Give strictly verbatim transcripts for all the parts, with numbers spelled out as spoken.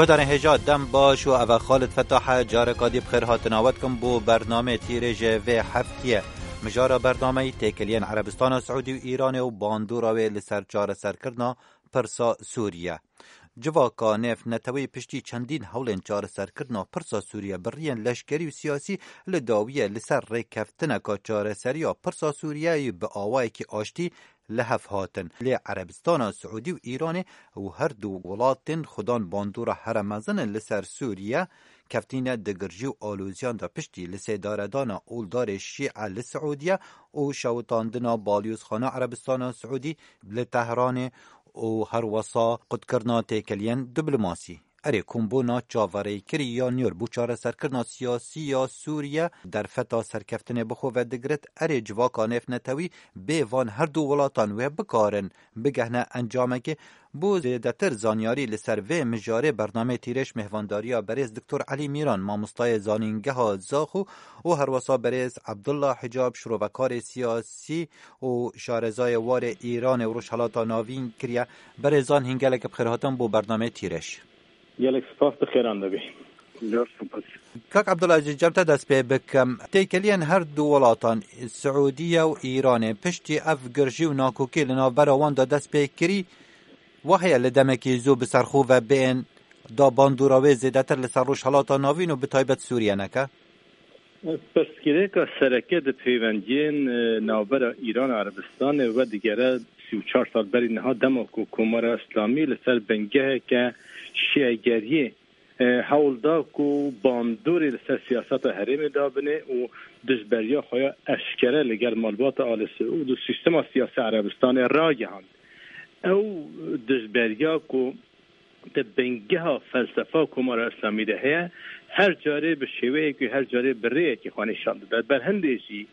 Guhdarên hêja dem baş û ev e Xalid Fetah e, careka dî bi xêr hatina we dikim bo bernameyê tîrêjê vê heftiyê. Mijara bernameyî têkiliyên Erebistana Siûdî û Îranê û bandora wê li ser çareserkirina pirsa Sûriye. Civaka nêvneteweyî piştî çendîn hewlên çareserkirina pirsa Sûriye bi riyên leşkerî û siyasî li dawiyê li ser rêkeftineka çareseriya pirsa Sûriyeyê bi awayekî aştî li hev hatin. Lê Erebistana Siûdî û Îranê û her du welatên xudan bandora here mezin in li ser Sûriye keftîne di girjî û aloziyan de piştî li sêdaredana oldarê Şîe li Siûdiye û şewitandina balyozxana Erebistana Siûdî li Tehranê û herwesa qutkirina têkiliyên diplomasî. Erê, kombûna çaverêkirî ya nûr bo çareserkirina siyasî ya Sûriye derfeta serkeftinê bi xwe ve digirit. Erê, civaka nêvnetewî bê van her du welatan wê bikarin bigehne encamekê. Bo zêdetir zanyarî li ser vê mijarê bernameyê tîrêj mêhvandariya berêz Doktor Elî Mîran, mamostayê zanîngeha Zaxo û herwesa berêz Abdullah Hicab, şirovekarê siyasî û şarezayê warê Îranê û Rojhelata Navîn kiriye. Berêzan hîn gelek bi xêr hatin bo bernameyê tîrêj. Gelek spas, bi xêran de bî. Zor spas. Kak Abdullah, ji cem te dest pê bikim. Têkiliyên her du welatan, Siûdiye û Îranê, piştî ev girjî û nakokî li navbera wan de dest pê kirî, wa heye li demekî zû bi ser xwe ve bên da bandora wê zêdetir li ser Rojhelata Navîn û bi taybet Sûriye neke? Pirsgirêka sereke di peywendiyên, e, navbera Îran û Erebistanê ve digere sî û çar sal berî niha, dema ku Komara Îslamî li ser bingeheke şîegeriyê, e, hewl da ku bandorê li ser siyaseta herêmê dabine û dijberiya xwe ya eşkere li gel malbata Alî Siûd û sîstema siyasî Erebistanê ragihand. Ew dijberiya ku di bingeha felsefa Komara Îslamî de heye, her carê bi şêweyekî, her carê bi rêyekî xwe nîşan dide. Berhindê jî,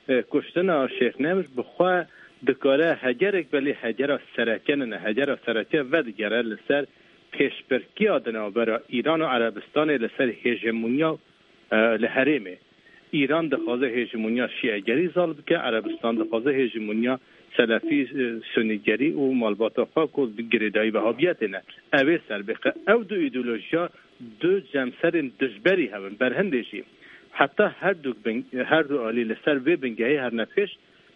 e, kuştina Şêx Nemr bi xwe dikare hegerek be, lê hegera sereke nine. Hegera sereke vedigere li ser pêşbirkiya di navbera Îran û Erebistanê li ser hêjemonya e, li herêmê. Îran dixwaze hêjemoniya şîegerî zal bike, Erebistan dixwaze hêjemoniya selefî, e, sunîgerî û malbata xwe ku bi girêdayî wehabiyetê ne, ew ê ser bixe. Ew du îdeolojiya du cemserên dijberî hev in. Berhindê jî heta her du bin, her du alî li ser vê bingehê herine pêş,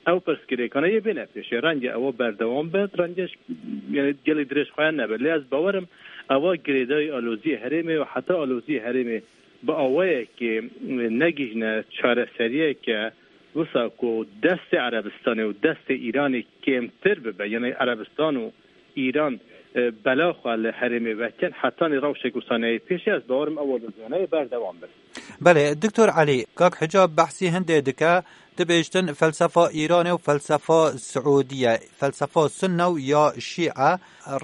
ew pirsgirêkane yê bêne pêşê. Renge ewa berdewam be, renge ji, yani gelek dirêj xwe nebe. Lê ez bawerim ewa girêdayî aloziyê herêmê û heta aloziyê herêmê bi awayekê negihîne çareseriyeke wisa ku destê Erebistanê û destê Îranê kêmtir bibe, yani Erebistan û Îran, e, bela xwe li herêmê vekin, hetanî rewşek wisa neyê pêşê, ez bawerim ew aloziyane berdewam bin. Belê, Doktor Elî, Kak Hicab behsî hindê dike, dibêjtin felsefa Îranê û felsefa Siûdiye, felsefa Sunne û ya Şîe,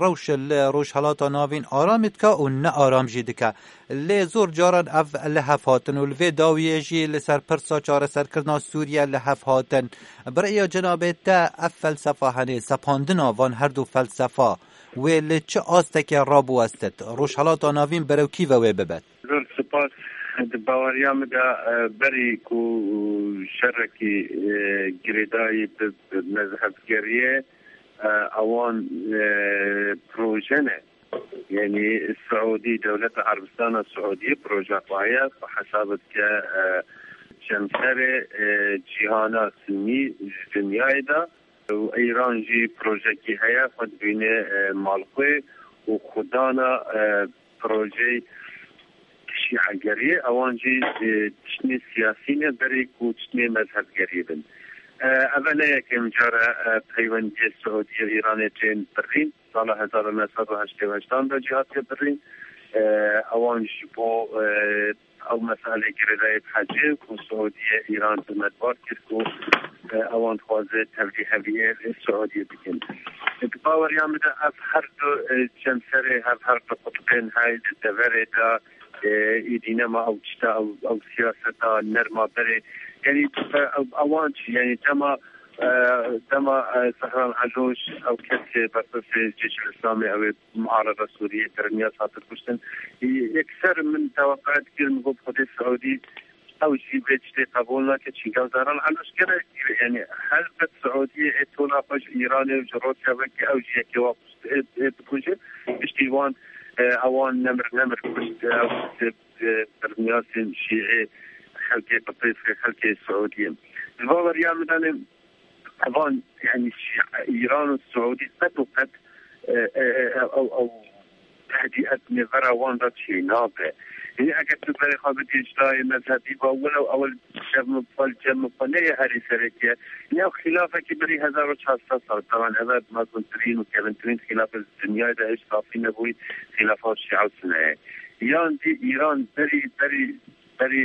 rewş li Rojhelata Navîn aramî dike û ne aram jî dike. Lê zor caran ev li hev hatin û li vê dawiyê jî li ser pirsa çareserkirina Sûriye li hev hatin. Bi rêya cenabê te ev felsefa, henê sepandina van her du felsefa, wê li çi astekê rabiwestit? Rojhelata Navîn berew kî ve wê bibet? Zor spas. Di baweriya min de, e, berî ku şerekî, e, girêdayî bi, bi mezhebgeriyê, e, ewan, e, proje ne. Yanî Siûdî, dewleta Erebistana Siûdî proje xwe heye, xwe hesab dike, e, cemserê, e, cîhana sunî ji dinyayê de. Û Îran jî projekî heye, xwe dibîne, e, malxwê û xwedana, e, projeyê şîegeriyê. Ewan jî, e, tiştê siyasî ne, berê ku tiştê mezhebgeriyê bin. E, ev ne yekem car e, e, peywendiyê Siûdî û Îranê tên birîn. Sala hezar û neh sed û heştê û heştan de jî hatiye birîn. E, ewan ji bo, e, ew meselê girêdayî bi hecê ku Siûdiyê Îran tometbar kir ku, e, ewan dixwaze tevlîheviyê Siûdiyê bikin. Di baweriya min de ev her du, e, cemserê hev, her du qutbên hey di deverê de, e, êdî nema ew tişta, ew, ew siyaseta nerma berê. Yanî, e, ew, ewan çi? Yanî dema, e, dema, e, Zehran Elûş, ew kesê berpirsê Cêşul Îslamê, ew ê muarebe Sûriyê kiriniya hate kuştin. Yekser min teweqe dikir, min got, Xwedê Siûdî ew jî vê tiştê qebûl nake, çî ew Zehran Elûş gelek, yanî helbet Siûdiyê ê tola xwe ji Îranê û ji Rûsya veke, ew jî yekê wa ê, ê bikuje. Piştî wan, E, ewan nemir nemir kuşt, e, kuşt, e, bermiyasên şîê, xelkê Qibtî, xelkê Siûdiyê. Di vaweriya min de ne, evan, yani, Şî-, Îran û Siûdî qet û qet, e, e, e, ew, ew tehdî ez nêvera wan re çênabe. Yanî eger tu berê xwe bidî ji dayê mezhebî ba wilo ew li cem xwe, li cem xwe neyê herî sereke. Ya xîlafekî berî hezar û çar sed sal, taban ev e mezintirîn û kevintirîn xîlafe di dinyayê de, hiç safî nebûyî, xîlafa şîa û suneyê. Yan jî Îran berî, berî, berî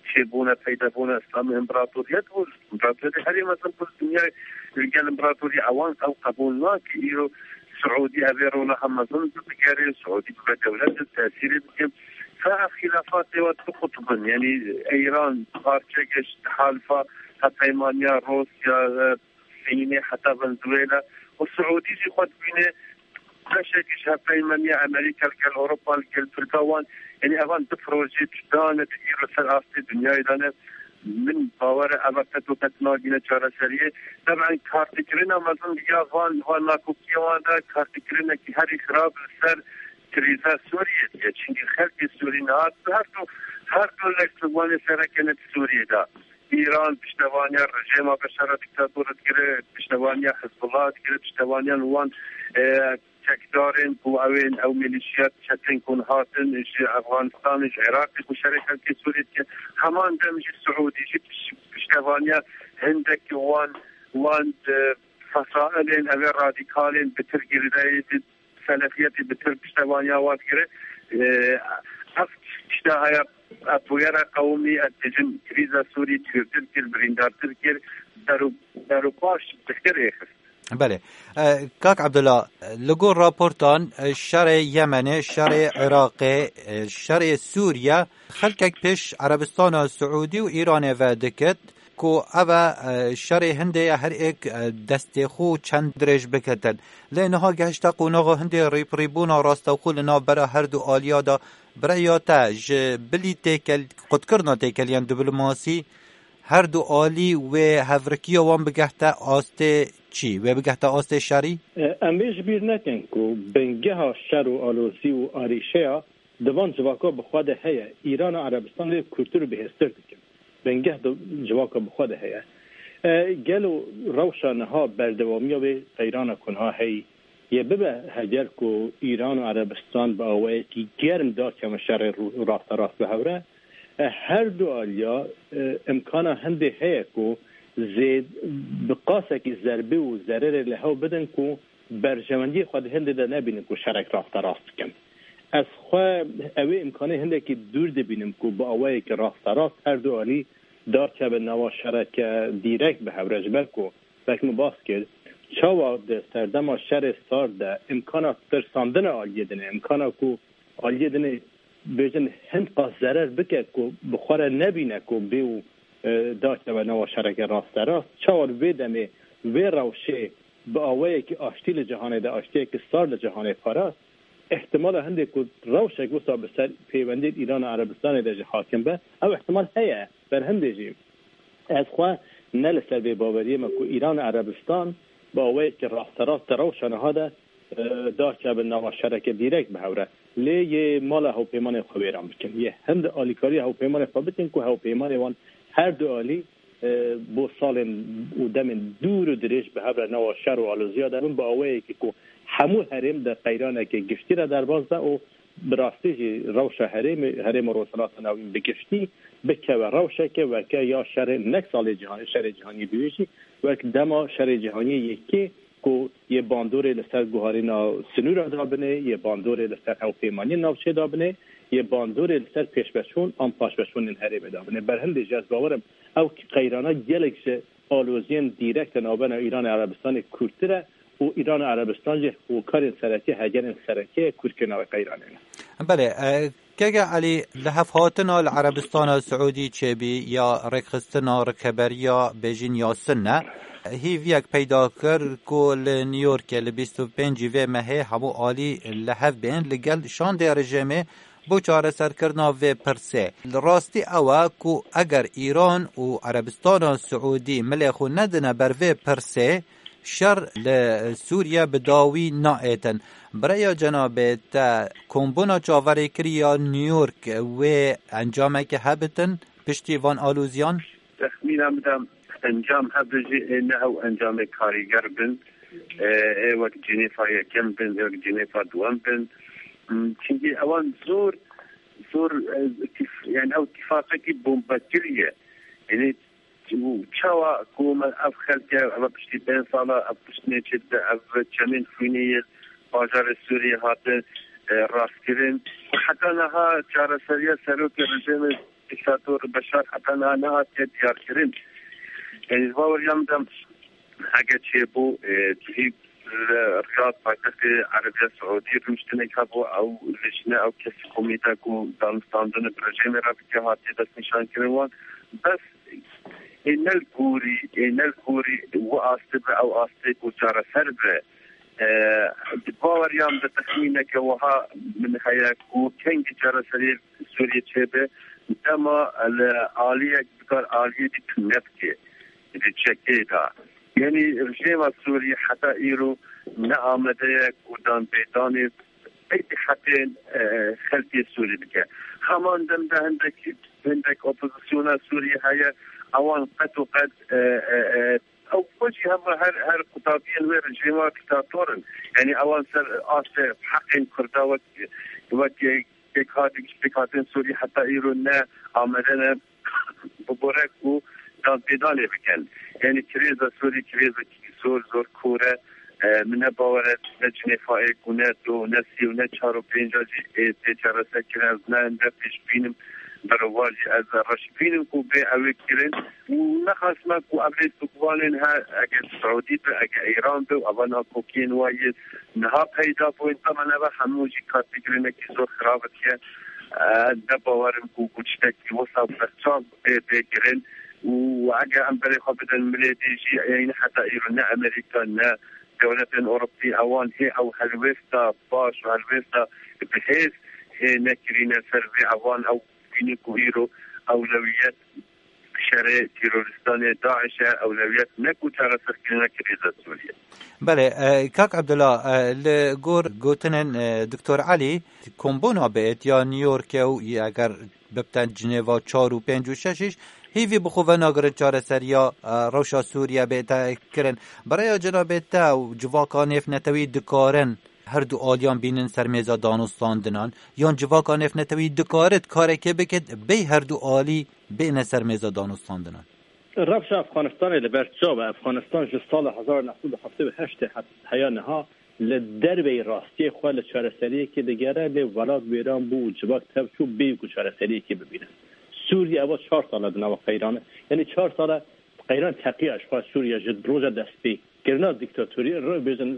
çêbûne, peydabûne Îslamê împaratoriyet bû. Împaratoriyetê herî mezin bû li dinyayê, li gel împaratorî ewan ew qebûl nake. Îro Siûdî evê rola hem mezin digere, Siûdî bibe dewlet, tesîrê bike. Fa ev xîlafatê wet biqutibin, yanî Îran parçeke ji halifa hevpeymaniya Rûsya, e, Sînê heta Venezuela û Siûdî jî xwe dibîne beşekî ji hevpeymaniya Amerîka li gel Ewropa, li gel Tirka wan, yanî evan du projeyê cuda ne, di îro ser astê dinyayê de ne. Min bawer e eva qet û qet nagîne çareseriyê. Taban kartikirina mezin ya van, van nakokiyê wan de kartikirinekî herî xirab li ser krîza Sûriyê diye. Çimkî xelkê Sûrî niha her du, her du leş li Wanê sereke ne di Sûriyê de. Îran piştevaniya rejêma Beşara diktator dikire, piştevaniya Hizbullah dikire, piştevaniya wan, e, çekdarên ku ew ên, ew milîşiyat çetin ku hatin ji Efxanistanê, ji Iraqê ku şerê xelkê Sûriyê dike. Heman dem jî Siûdî jî piş-, piştevaniya hindek wan, wan, e, fesailên ev ê radîkalên bitir girêdayî di selefiyetê bitir piştevaniya wan digire. E, ev tişta heye, ev bûyera qewimî, ez dibêjim, krîza Sûrî tûrtir kir, birîndartir kir, deru-, derupaş diktir rêxist. Belê. E, Kak Abdullah, li gor raportan, e, şerê Yemenê, şerê Iraqê, e, şerê Sûriye, xelkek pêş Erebistana Siûdî û Îranê ve dikit ku ev e, e, şerê hindê ye, her êk, e, destê xwe çend dirêj bikitin. Lê niha gehişte qonaxa hindê rîpirîbûna rastexwe li navbera her du aliya de. Bi rêya te, ji bilî têkel-, qutkirina têkeliyan diplomasî, her du alî wê hevrikiya wan bigehte astê çi? Wê bigehte astê şerî? E, em ê ji bîr nekin ku bingeha şer û alozî û arîşeya di van civaka bi xwe de heye. Îran û Erebistan lê kûrtir û bihêztir dikin. Bingeh di civaka bi xwe de heye. E, gelo rewşa niha berdewamiya vê qeyrana ku niha heyî yê bibe, heger ku Îran û Erebistan bi awayekî germ dakevin şerê rû-, rasterast bi hev re, e, her du aliya, e, imkana hindê heye ku zêd-, bi qasekî zerbê û zererê li hev bidin ku berjewendiyê xwe di hindê de nebînin ku şerek rasterast bikin. Ez xwe ew ê imkanê hindekî dûr dibînim ku bi awayekî rasterast her du alî dakevin nava şereke dîrek bi hev re, ji ber ku wek min bas kir, çawa di serdema şerê sard de imkana tirsandina aliyê din e, imkana ku aliyê din ê bêjin hin qas zerer bike ku bi xwe re nebîne ku bê û, e, dakeve nava şereke rasterast. Çawa di vê demê vê rewşê bi awayekî aştî li cîhanê de, aştiyekî sar li cîhanê parast, ihtimala hindê ku rewşek wisa bi ser pêwendiyên Îran û Erebistanê de jî hakim be, ew ihtimal heye. Berhindê jî ez xwe ne li ser vê baweriyê me ku Îran û Erebistan bi awayekî rasterast di rewşa niha de, e, dakevin nava şereke dîrek bi hev re. Lê yê mala hewpeymanê xwe wêran bikin. Yê hind alîkariya hewpeymanê xwe bikin ku hewpeymanê wan her du alî, e, bo salên û demên dûr û dirêj bi hev re nava şer û aloziya de bin, bi awayekî ku hemû herêm di qeyraneke giştî re derbas be û bi rastî jî rewşa herêmê, herêma Rojhilata Navîn bi giştî bikeve rewşeke weke ya şerê nek salê cîhanê, şerê cîhanî duyê jî wek dema şerê cîhanî yekê ku yê bandorê li ser guharîna sinûra dabinê, yê bandorê li ser hewpeymaniyên navçê dabinê, yê bandorê li ser pêşveçûn an paşveçûnên herêmê dabinê. Berhindê jî ez bawer im ew qeyrana gelek ji aloziyên dîrek di navbera Îran û Erebistanê kûrtir e û Îran û Erebistan jî hokarên sereke, hegerên sereke ye kûrkirina wê qeyranê ne. Belê, e, Keke Elî, li hevhatina li Erebistana Siûdî çêbî ya rêkxistina rikeberiya bêjin ya Sinne, hîviyek peyda kir ku li New Yorkê li bîst û pêncî vê mehê hemû alî li hev bên li gel şandê rejêmê bo çareserkirina vê pirsê. Li rastî ew e ku eger Îran û Erebistana Siûdî milê xwe nedine ber vê pirsê, Şer li Sûriye bi dawî naêtin. Bi rêya cenabê te, kombûna çaverêkirî ya New York wê encameke hebitin piştî van alûziyan? Texmîna min de encam hebe jî ê ne ew encamê karîger bin, ê wek Cinêfa yekem bin, ê wek Cinêfa duwem bin. Çimkî ewan zor, zor, e, tif-, yani ew tifaqekî bombekirî ye. Yani û çawa ku me ev xelke, eva piştî pênc sala ev piştnê çêdibe, ev çemên xwînê yê bajarê Sûriyê hate, e, rastkirin. Heta niha çareseriya serokê rejîmê dîktator Beşar heta niha nehatiye diyarkirin. Yani ji baweriya min de heke çêbû, e, cihî li Riyad, paytextê Erebiya Siûdî, rûniştinek hebû, ew lijne, ew kesî komîte ku danûstandinê bi rejîmê re bike, hatiye destnîşankirin wan. Bes ê ne li gorî, ê ne li gorî wi astê bi ew astê ku çareser be. E, di baweriya min de texmîneke wiha min heye ku kengî çareseriyê Sûriyê çêbe, dema li aliyek bikar aliyê dî tune bike, di çekê de. Yanî rejîma Sûriyê heta îro ne amade ye ku danpêdanê ey heqên, e, xelkê Sûrî bike. Heman dem de hindek, hindek opozisyona Sûrî heye, ewan qet û qet, e, e, e, ew xwe jî hema her, her qutabiyên wê rejîma dîktator in. Yanî ewan ser astê heqên Kurda wek, wek pêkhatin, pêkhatin Sûrî heta îro ne amade ne bibore ku danpêdanê bikin. Yanî krêza Sûrî krêzekî zor, zor kûr e. E, min ne bawer e ne Cinêfayê ku ne du, ne sî û ne çar û pênc jî ê tê çareserkirin. Ez ne, ne pêş bînim, berovajî ez reş bînim ku bê ew ê kirin. Û nexasme ku ev lêstokvanên he, eger Siûdî be, eger Îran be û eva nakokiyên wa yê niha peyda bûn, tema neve hemû jî kartîkirinekî zor xirab diye. Ez ne bawer im ku, ku tiştekî wisa berçav bê, bê kirin. Û eger em berê xwe bidin milê dî jî, yanî heta îro ne Amerîka, ne dewletên Ewropî, ewan hê ew helwêsta baş û helwêsta bi hêz hê nekirîne ser vê ewan ew bînin ku îro ewlewiyet şerê terorîstanê DAIŞ e, ewlewiyet ne ku çareserkirina krîza Sûriyê. Belê, e, kak Abdullah, e, li gor gotinên, e, Doktor Elî, kombûna bi êtiya New Yorkê û eger bibten Cinêva çar û pênc û şeş jî hîvî bi xwe venagirin çareseriya, e, rewşa Sûriye bête kirin. Bi rêya cenabê te û civaka nêvnetewî dikarin her du aliyan bînin ser mêza danûstandinan? Yan civaka nêvnetewî dikarit karekê bikit bê her du alî bêne ser mêza danûstandinan? Rewşa Efxanistanê li ber çav e. Efxanistan ji sala hezar neh sed û heftê û heştê het-, heya niha li derveyî rastiyê xwe li çareseriyekê digere, lê welat wêran bû û civak tev çû bêyî ku çareseriyekê bibîne. Sûriye eva çar sal e di nava qeyran e. Yanî çar sal e qeyran teqiya ji xwe Sûriye ji roja destpêkirina dîktatorî re bêjin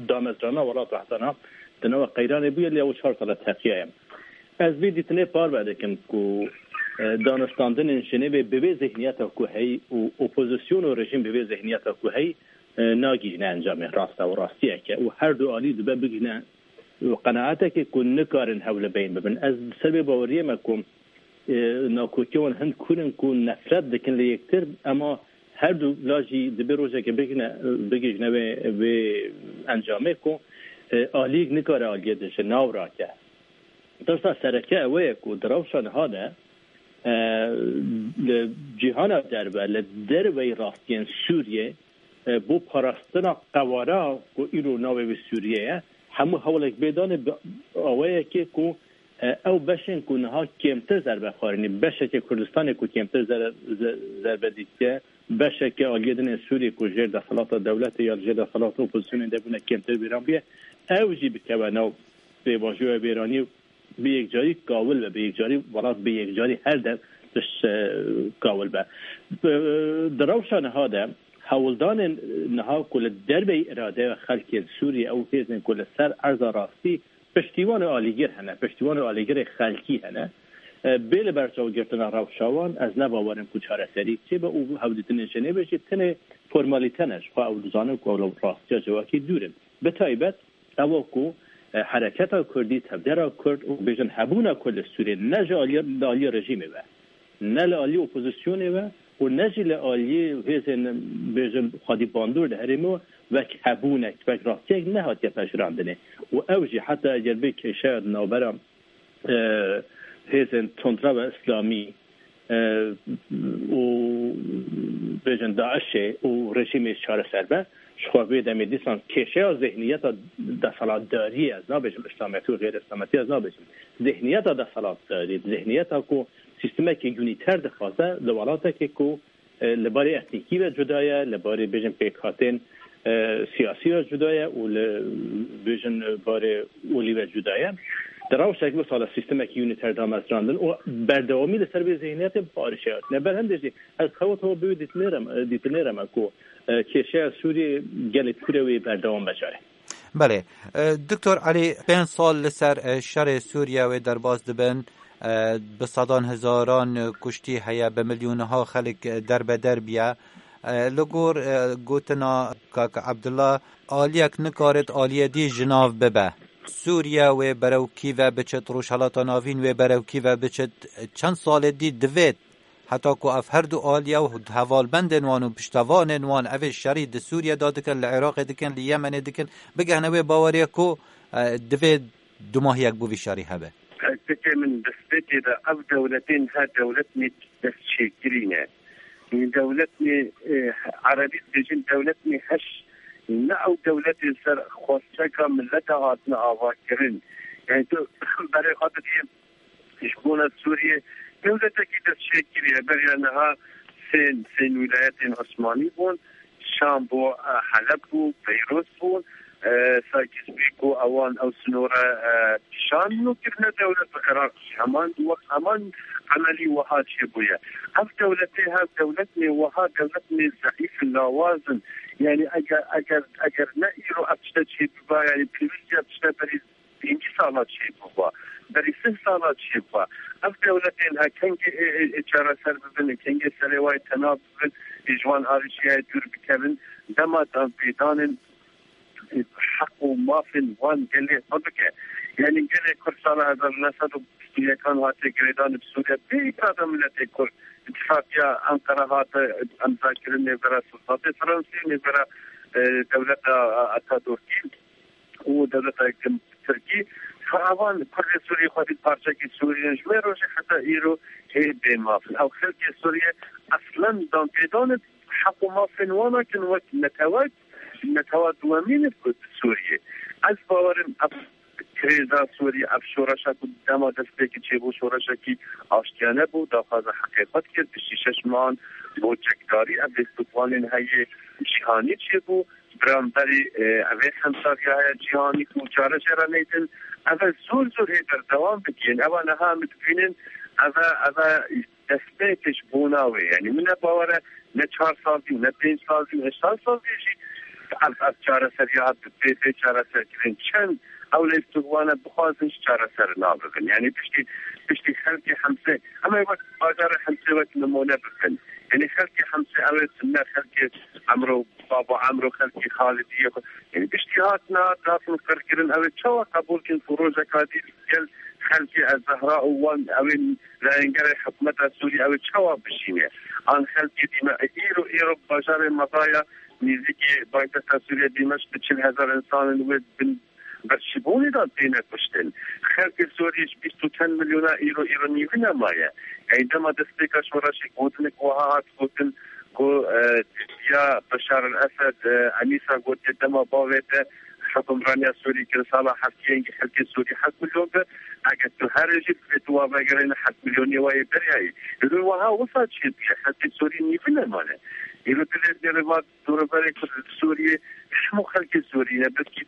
damezrana welat wehdana di nava qeyranê bûye, lê ew çar sal e teqiya ye. Ez vê dîtinê parve dikim ku, e, danûstandinên Jenêvê bi vê zihniyeta ku heyî û opozîsyon û rejîm bi vê zihniyeta ku heyî, e, nagihîne encamê rast e û rastiyeke û her du alî dibe bigihîne qenaetekê ku nikarin hewl li beyn bibin. Ez ser vê baweriyê me ku, e, nakokê wan hin kûr in ku nefret dikin li yektir, ema her du la jî dibê rojekê bigihîne, bigihîne vê, vê encamê ku, e, aliyek nikare aliyê din ji nav rake. Tirsa sereke ew ye ku di rewşa niha de, e, li cîhana derve, li derveyî rastiyên Sûriyê, e, bo parastina qewara ku îro navê wî Sûriye ye, hemû hewlek bê dane bi awayekê ku, e, ew beşên ku niha kêmtir zerbe xwarinî, beşeke Kurdistanê ku kêmtir zer-, ze-, zerbe dîtiye, beşeke aliyê din ên Sûriyê ku jêr desthilata dewletê ya li jêr desthilata opozîsyonê de bûne kêmtir bîran bûye, ew jî bikeve nav pêvajoya bêranî û bi yekcarî kawil be, bi yekcarî welat bi yekcarî her der tişt, e, kawil be. Bi, di rewşa niha de hewldanên niha ku li derveyî îradeya xelkên Sûriyê ew hêzên ku li ser erza rastî piştîwan û alîgir hene, piştîwan û alîgirê xelkî hene, e, bê li ber çavgirtina rewşa wan, ez ne bawer im ku çareserî çêbe û hevdîtinên Jenêvê jî tenê formalîte ne, ji xwe ew dizanin ku ew li rastiya civakî dûr in. Bi taybet ew ku, e, hereketa Kurdî, tevgera Kurd û bêjin hebûna Kurd li Sûriyê ne ji aliyê, li aliyê rejîmê ve, ne li aliyê opozîsyonê ve, û ne jî li aliyê hêzên, bêjin, xwedî bandor di herêmê wek hebûnek, wek rastiyek nehatiye pejirandinê. Û ew jî heta eger bê kêşeya di navbera, e, hêzên tundrewa îslamî, e, û, bêjin, DAIŞê û rejîmê çareser be, ji xwe vê demê dîsan kêşeya zihniyeta desthilatdariyê, ez nabêjim îslamiyetî û xêr îslamiyetî, ez nabêjim. Zihniyeta desthilatdarî, zihniyeta ku sîstemekî unîter dixwaze li welatekê ku, e, li barê etnîkî ve cuda ye, li barê, bêjin, pêkhatên, e, siyasî ve cuda ye û li, bêjin, barê olî ve cuda ye. Di rewşek wisa li sîstemekî unîter damezrandin û berdewamî li ser vê zihniyetê bi arîşe hatine. Ber hindê jî ez xewa xwe bi wê dîtinê re me, dîtinê re me ku, e, kêşeya Sûriyê gelek kûr e wê berdewam be carê. Belê. E, Doktor Elî, pênc sal li ser, e, şerê Sûriye wê derbas dibin. E, bi sedan hezaran, e, kuştî heye, bi milyonha xelk, e, derbeder biye. E, li gor, e, gotina Kak Ebdullah, aliyek nikarit aliyê dî ji nav bibe. Sûriye wê berew kî ve biçit, Rojhelata Navîn wê berew kî ve biçit, çend salê dî divêt heta ku ev her du aliye û hevalbendên wan û piştevanên wan evê şerî di Sûriye de dikin, li Iraqê dikin, li Yemenê dikin, bigihne wê baweriye ku, e, divê dumahiyek bo vî şerî hebe. Fikê min destpêkê de ev dewletên her dewletnê destçêkirî ne. Dewletnê, e, erebî dibêjin dewletnê heş ne ew dewletên ser xwesteka milete hatine avakirin. Yani tu berê xwe didiyê ji bona Sûriyê dewletekî destçêkirî ye. Beriya niha sê, sê wîlayetên Osmanî bûn. Şam bû, e, Heleb bû, Beyrût bû. E, Sakîs Pîko ewan ew sinore, e, kişandin û kirine dewlet bi Iraq jî. Heman wek heman emelî wiha çêbûye. Ev dewletê hev dewletnê wiha dewletnê zeîf in, lawaz in. Yani eger, eger, eger ne îro ev tişte çêbiba, yani pêwîst ev tişte berî pêncî sala çêbûba, berî sih sala çêbûba. Ev dewletên he kengê ê, ê, ê çareser bibin, ê kengê serê wayê tena bibin, ê ji wan arîşiyayê dûr bikevin, dema danpêdanên heq û mafên wan gelê xwe bike. Yanî gelê Kurd sala hezar û neh sed û bîst û yekan hatiye girêdan bi Sûriye, bê îrada miletê Kurd. Îtifaqiya Enqera hate emzakirin nêvbera Sultatê Fransî, nêvbera, e, dewleta Atatürkî û dewleta Tirkî. Ewan Kurdê Sûrî xwedî parçekî Sûrî ne, ji wê rojê heta îro hê bê maf in. Ew xelkê Sûrî eslen danpêdanê heq û mafên wan nakin wek netewek, netewa duwemîn e ku di Sûriyê. Ez bawerim ev krêza Sûriyê, ev şoreşa ku dema destpêkê çêbû, şoreşekî aştiyane bû, daxwaza heqê xwe dikir, piştî şeş mehan bo çekdarî, ev lêstokvanên heyê cîhanî çêbû, beramberî, e, evê hemsariya heye cîhanî ku çare jê re neytin, ev e zor zor hê berdewam bikîn. Ewa niha em dibînin, ev e, ev e destpêkê ji bona wê. Yanî min ne bawer e, ne çar sal dî, ne pênc sal dî, ne şeş sal dî jî ev, ev çareseriya bê, bê çareserkirin. Çend ew lêstokvane bixwazin ji çareser nabibin. Yanî piştî, piştî xelkê Hemsê, em ê wek bajarê Hemsê wek nimûne bibin. Yanî xelkê Hemsê ew ê tune xelkê Emro, Baba Emro, xelkê Xalidiyê xwe. Yanî piştî hatina, hatin qirkirin, ew ê çawa qebûl kin ku rojeka dî gel xelkê Ez Zehra û wan ew ê layengere hikûmeta Sûrî ew ê çawa bijîne? An xelkê Dîme-, îro, îro bajarê Medaya nêzîkî paytexta Sûrî Dîmeşq bi çil hezar însan in wê bin birçîbûnê de têne kuştin. Xelkê Sûrî ji bîst û çend milyona îro, îro nîvî nemaye. Ey dema destpêka şoreşê gotinek wiha hat gotin ku, e, ya Beşar el Esed, e, Enîsa gotiye dema bavê te hukimraniya Sûrî kir sala heftiyê, hingî xelkê Sûrî heft milyon be. Eger tu herê jî divê tu wa vegerîne heft milyonê wa yê beryayî. Îro wiha wisa çêbûye, xelkê Sûrî nîvî nemane. Îro dilê derê va dûreberê ku li Sûriyê hemû xelkê Sûrî ne, belkî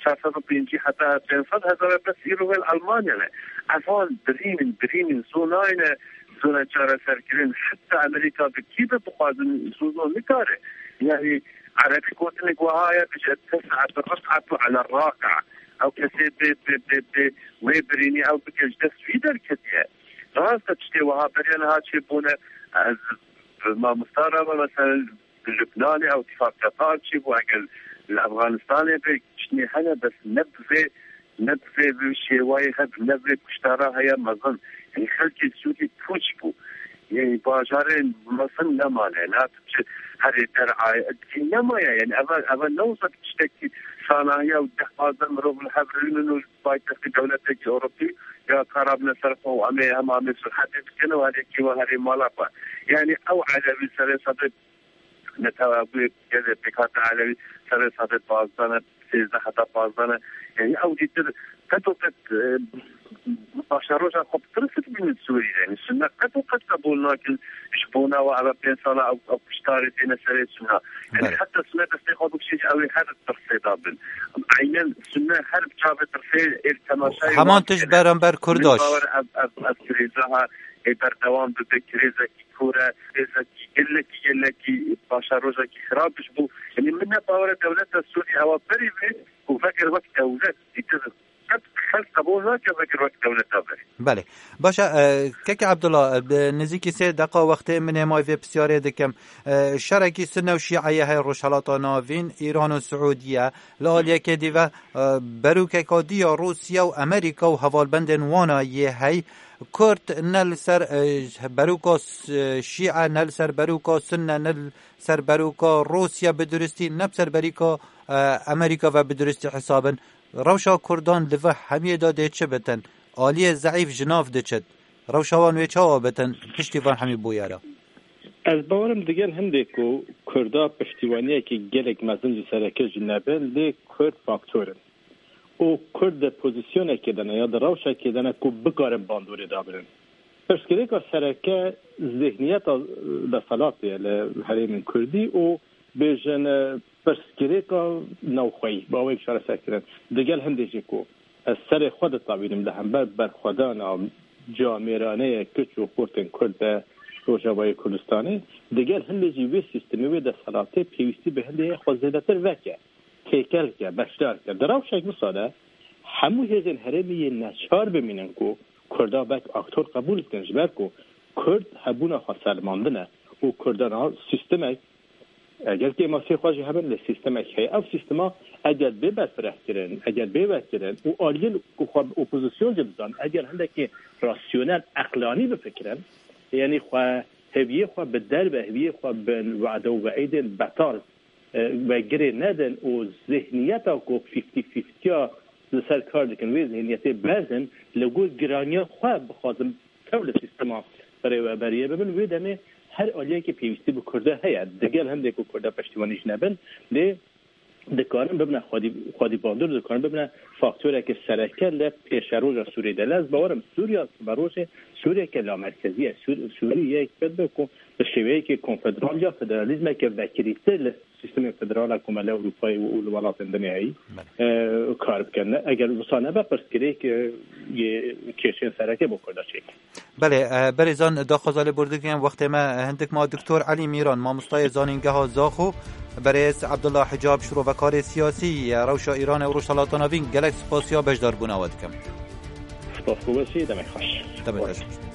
çar sed û pêncî heta pênc sed hezar e, bes îro wê li Elmanya ne. Evan birîn in, birîn in, zû nayne, zû ne çareserkirin. Heta Amerîka bi kî be bixwazin, zû zû nikare. Yani erebî gotinek wiha ye, bije tes'atu rif'atu ala raqi. Ew kesê bê, bê, bê, bê wê birînî ew bike ji dest wî derketiye. Rast e, tiştê wiha beriya niha çêbûne. Ez bi mamosta re me, mesela, li Lubnanê ew tifaqiya Taif çêbû, eger li Efxanistanê be, tiştê hene, bes ne bi vê, ne bi vê, vê şêwayê hebe, ne vê kuştara heye mezin. Yanî xelkê Sûrî pûç bû. Yani bajarên mezin nemane, ne tu çi herê derayê nemaye. Yani eve, eve ne wisa tiştekî sanahiya û deh pazdeh mirov li hev rûnin û paytextê dewletekî Ewropî ya karabine ser xwe û em ê, em amê surhetê bikin û herêkî we herê mala xwe. Yani ew elewî serê sedê netewe bûye gelê pêkhate elewî serê sedê pazdeh ne, sêzdeh heta pazdeh ne. Yani ew dîtir qet û qet, e, başa roja xwe bi tirsit bînin Sûrî de. Yani Sunne qet û qet qebûl nakin ji bona we eve pênc sala ew, ev kuştarê têne serê Sunne. Yani Belê. Heta Sunne destê xwe bikişî ji ew ê her tirsê da bin. Eynen Sunne her bi çavê tirsê êl temaşayê Heman wan tişt dikene. Beramber Kurdaş. Min bawer ev, ev, ev krîza ha ê berdewam bibe, krîzekî kor e, krîzekî gelekî, gelekî başa rojekî xirab ji bo. Yani min ne bawer e dewleta Sûrî ewa berî vê û vekir wek dewlet dîtir qet xelk qebûl nake vekir wek dewleta berî. Belê. Baş e, e, Kekê Abdullah, e, bi nizîkî sê deqa wextê min hêmayî vê pisyarê dikim. E, şerekî Sunne û Şîeye heye Rojhelata Navîn, Îran û Siûdiye. Li aliyekê dî ve, e, berûkeka dî ya Rûsya û Amerîka û hevalbendên wana yê hey. Kurd ne li ser, e, berûka s-, Şîe, ne li ser berûka Sunne, ne li ser berûka Rûsya bi duristî, ne bi ser berîka, e, Amerîka ve bi duristî hesabin. Rewşa Kurdan li vir hemiyê de dê çi bitin? Aliyê zeîf ji nav diçit. Rewşa wan wê çawa bitin piştî van hemî bûyera? Ez bawerim digel hindê ku Kurda piştîwaniyekî gelek mezin ji sereke jî nebin, lê Kurd faktor in. Û Kurd di pozisyonekê de ne ya di rewşekê de ne ku bikarin bandorê dabinin. Pirsgirêka sereke zihniyeta deselatê ye li herêmên Kurdî û bêjin, e, pirsgirêka navxweyî bi awayek çareser kirin. Digel hindê jî ku ez serê xwe ditavînim li hember berxwedana camêraneyê kiç û xortên Kurd de Rojavayê Kurdistanê, digel hindê jî vê sîstemê, wê deselatê pêwîstî bi hindê xwe zêdetir veke, têkel ke, beşdar ke. Di rewşek wisa de hemû hêzên herêmê yên neçar bimînin ku Kurda wek aktor qebûl bikin, ji ber ku Kurd hebûna xwe selimandine û Kurda niha sîstemek, eger kêmasiyê xwe jî hebin, lê sîstemek heye. Ev sîstema eger bê berfirehkirin, eger bê vekirin û aliyên ku xwe bi opozîsyon jî dizan, eger hindekî rasyonel, eqlanî bifikirin, yanî xwe, hêviyê xwe bi derve, hêviyê xwe bi wade û veîdên betal, e, ve girê nedin û zihniyeta ku fifty fifty ya li ser kar dikin, wê zihniyetê berdin, li gor giraniya xwe bixwazin tev li sîstema birêveberiyê bibin, wê demê her aliyekî pêwîstî bi Kurda heye. Digel hindê ku Kurda peştîwanî jî nebin, lê dikarin bibine xwedî, xwedî bandor, dikarin bibine faktoreke sereke li pêşeroja Sûriyê de. Lê ez bawerim Sûriya siberojê Sûriyeke lamerkezî ye. Sûr-, Sûrî yek pêt be ku bi şêweyeke konfederal ya federalîzmeke vekirîtir li sîstemên federal a Komela Ewropayê û, û li welatên dinê heyî, Belê. e, kar bikin. Ne, eger wisa nebe, pirsgirêk, e, yê kêşên sereke bo Kurda çêk. Belê, e, berêzan daxwaza lêbordin dikin, wextê me hindik ma. Doktor Elî Mîran, mamostayê zanîngeha Zaxo, berêz Abdullah Hicab, şirovekarê siyasî ye rewşa Îranê û Rojhelata Navîn, gelek spasiya beşdarbûna we dikim. Spas ku wesî, demek xweş. Demek xweş.